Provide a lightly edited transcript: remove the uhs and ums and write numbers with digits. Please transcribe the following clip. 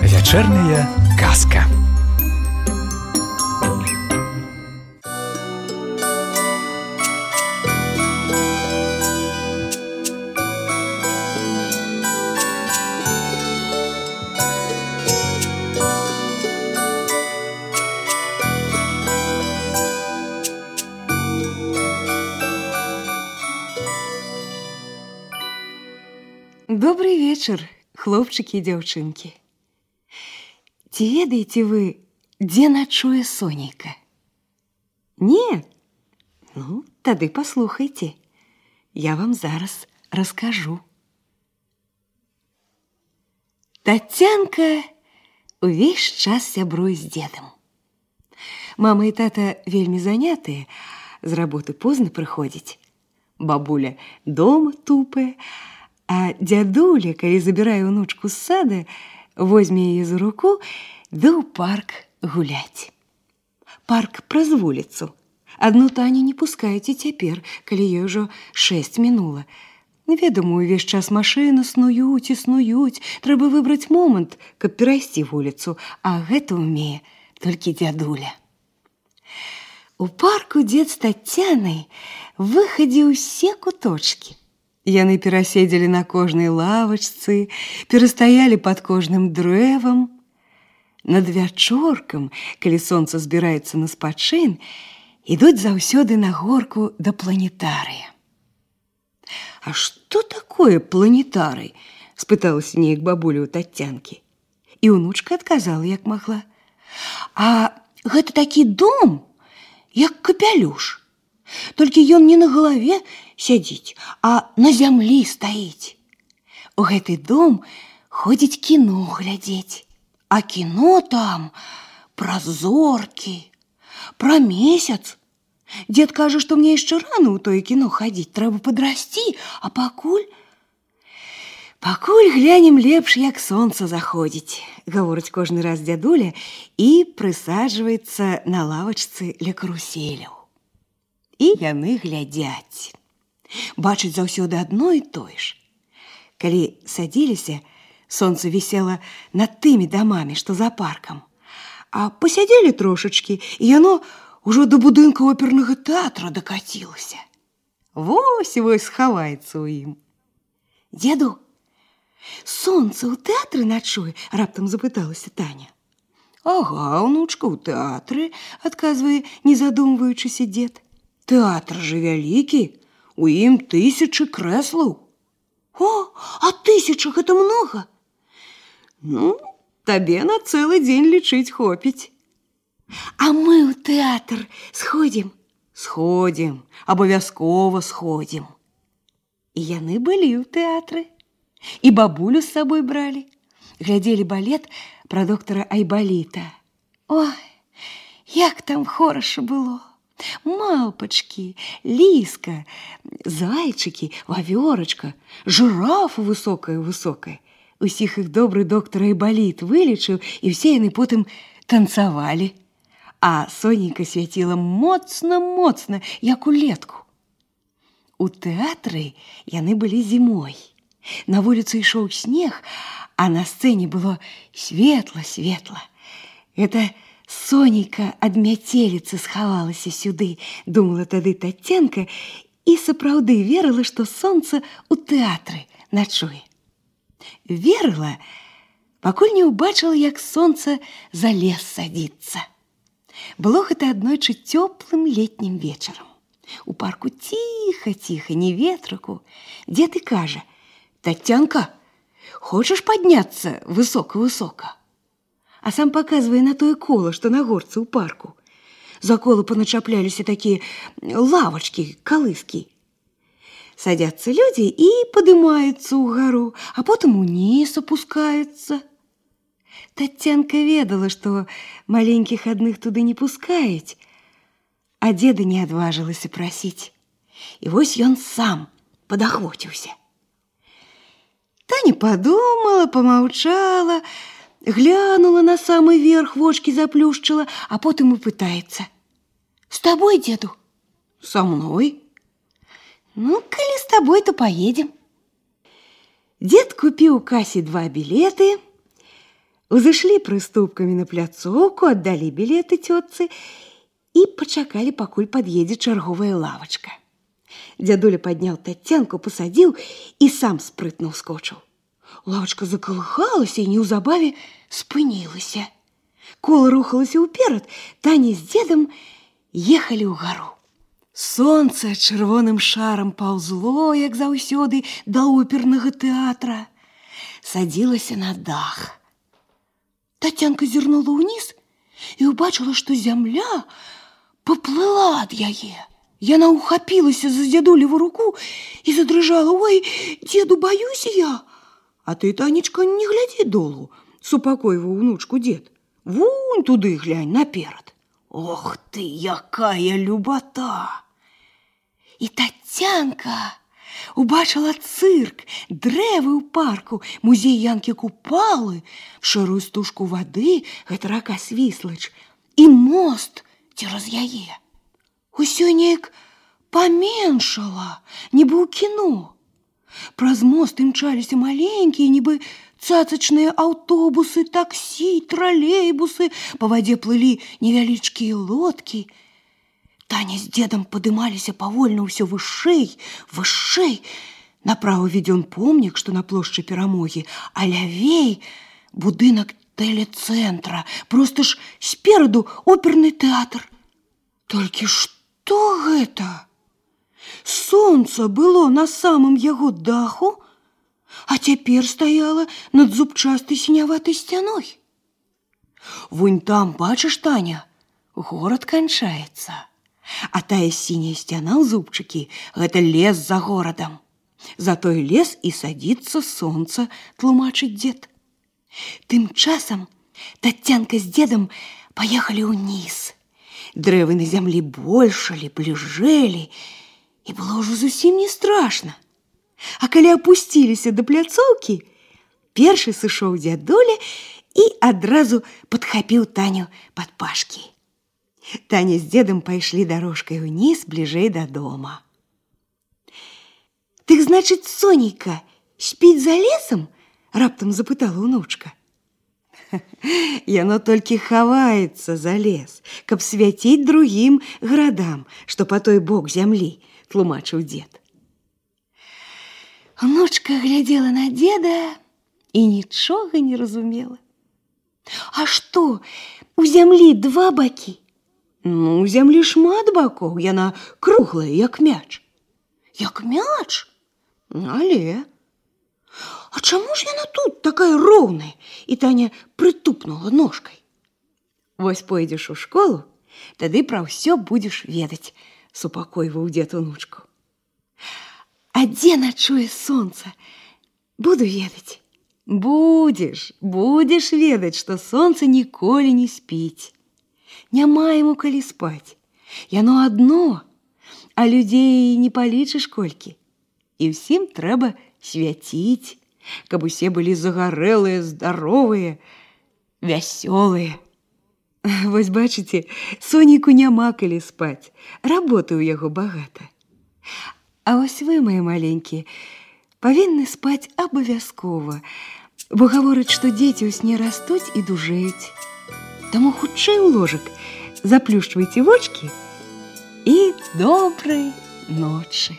Вечерняя казка. Добрый вечер, хлопчики и девчонки. Ці ведаеце вы, дзе начуе Сонейка? Не? Ну, тады паслухайце. Я вам зараз раскажу. Тацянка увесь час сябруе з дзедам. Мама і тата вельмі занятыя, з работы позна прыходзяць. Бабуля дома тупая, а дзядуля, калі забірае ўнучку з сада, возьме яе за руку ды ў парк гуляць. Парк праз вуліцу. Адну Таню не пускаюць і цяпер, калі ёй ужо 6 мінула. Неведома, увесь час машыны снуюць і снуюць. Трэба выбраць момант, каб перайсці вуліцу, а гэта ўмее толькі дзядуля. У парку дзед з Тацянай выхадзіў усе куточкі. Яны пераседзелі на кожнай лавачцы, перастаялі пад кожным дрэвам. Над вячоркам, калі сонца збіраецца на спачын, ідуць заўсёды на горку да планетарыя. «А што такое планетарый?» – спыталася неяк бабуля ў Тацянкі. І ўнучка адказала, як магла. «А гэта такі дом, як капялюш. Толькі ён не на галаве сядзіць, а на зямлі стаіць. У гэты дом ходзіць кіно глядзець, а кіно там пра зоркі, пра месяц. Дзед кажа, што мне яшчэ рана ў тое кіно хадзіць, трэба падрасці, а пакуль глянем лепш, як сонца заходзіць», – гаворыць кожны раз дзядуля і прысаджваецца на лавачцы ля каруселяў. І яны глядзяць. Бачаць заўсёды адно і тое ж. Калі садзіліся, сонца вісела над тымі дамамі, што за паркам. А пасядзелі трошачкі, і яно ўжо да будынка опернага тэатра дакацілася. Вось-вось схаваецца ў ім. «Дзеду, сонца ў тэатры начуе?» – раптам запыталася Таня. «Ага, унучка, ў тэатры», – адказвае, не задумваючыся дзед. «Тэатр жа вялікі, у ім 1000 крэслаў». «О, а 1000 – гэта многа?» «Ну, табе на цэлы дзень лічыць хопіць». «А мы ў тэатр сходзім?» «Сходзім, абавязкова сходзім». І яны былі ў тэатры. І бабулю з сабой бралі. Глядзелі балет пра доктара Айбаліта. Ой, як там хораша было! Малпачкі, ліска, зайчыкі, вавёрачка, жырафа высокая-высокая. Усіх іх добры доктар Айбаліт вылечыў, і ўсе яны потым танцавалі. А Сонейка свяціла моцна-моцна, як улетку. У тэатры яны былі зімой. На вуліцы ішоў снег, а на сцэне было светла-светла. Это Сонейка ад мяцеліцы схавалася сюды, думала тады Тацянка, і сапраўды верыла, што сонца ў тэатры начуе. Верыла, пакуль не ўбачыла, як сонца за лес садзіцца. Было гэта аднойчы цёплым летнім вечарам. У парку ціха-ціха, ні ветраку. Дзед і кажа: «Тацянка, хочаш падняцца высока-высока?» А сам паказвае на тое кола, што на горцы ў парку. За кола паначапляліся такія лавачкі, калыскі. Садзяцца людзі і падымаюцца ўгару, а потым уніз апускаюцца. Тацянка ведала, што маленькіх адных туды не пускаюць, а дзеда не адважылася прасіць. І вось ён сам падахвоціўся. Таня падумала, помаўчала, глянула на самы верх, вочкі заплюшчыла, а потым і пытаецца: тобой, деду? Со мной. Ну, коли с тобой, то поедем. Дед купил у кассе 2 билеты, узышлі прыступкамі на пляцоўку, аддалі білеты цётцы і пачакалі, пакуль пад'едзе чарговая лавачка. Дзядуля падняў Таццянку, пасадзіў і сам спрытна ўскочыў. Лавачка закалыхалася і неўзабаве спынілася. Кола рухалася ўперад, Таня з дзедам ехалі ўгару. Сонца чырвоным шарам паўзло, як заўсёды, да опернага тэатра. Садзілася на дах. Таццянка зірнула ўніз і ўбачыла, што зямля паплыла ад яе. Яна ухапілася за дзядулеву руку і задрыжала. Ой, дзеду, баюся я. А ты, Танечка, не глядзі долу, супакойваў унучку дзед. Вунь туды глянь, наперад. Ох ты, якая любата! І Таццянка убачыла цырк, дрэвы ў парку, музей Янкі Купалы, шэрую стужку вады, гэта рака Свіслач, і мост цераз яе. Усё неяк паменшала, нібы ў кіно. Праз мост імчаліся маленькія, нібы цацачныя аўтобусы, таксі, тралейбусы, па вадзе плылі невялічкія лодкі. Таня з дзедам падымаліся павольна ўсё вышэй, вышэй. Направо виден помнік, што на плошчы Перамогі, а лявей будынак тэлецэнтра, проста ж спераду оперны тэатр. Толькі што гэта? Сонца было на самым яго даху, а цяпер стаяла над зубчастай сіняватай сцяной. Вунь там, бачыш, Таня, горад канчаецца. А тая сіняя сцяна ў зубчыкі – гэта лес за горадам. За той лес і садзіцца сонца, тлумачыць дзед. Тым часам Таццянка з дзедам паехалі ўніз. Дрэвы на зямлі большалі, бліжэлі, і было ўжо зусім не страшна. А калі апусціліся да пляцоўкі, першы сышоў дзядуля і адразу падхапіў Таню пад пашкі. Таня з дзедам пайшлі дарожкай уніз, бліжэй да дома. «Дык, значыць, Сонейка спіць за лесам?» – раптам запытала ўнучка. «Яно толькі хаваецца за лес, каб свяціць другім гарадам, што па той бок зямлі», – тлумачыў дзед. Унучка глядзела на дзеда і нічога не разумела. «А што, у зямлі 2 бакі?» «Ну, у зямлі шмат бакоў, яна круглая, як мяч». «Як мяч? Але...» «А чаму ж яна тут такая роўная?» І Таня прытупнула ножкай. «Вось пойдзеш у школу, тады пра ўсё будзеш ведаць», – супакойваў дзед унучку. «А дзе начуе сонца? Буду ведаць». «Будзеш ведаць, што сонца ніколі не спіць. Няма яму калі спаць. Яно адно, а людзей не палічыш колькі. І ўсім трэба свяціць, каб усе былі загарэлыя, здаровыя, вясёлыя. Вось бачыце, Сонейку няма калі спаць, работы ў яго багата. А вось вы, мае маленькія, павінны спаць абавязкова, бо гавораць, што дзеці ў сне растуць і дужэюць. Таму хутчэй у ложак заплюшчвайце вочкі і добрай ночы.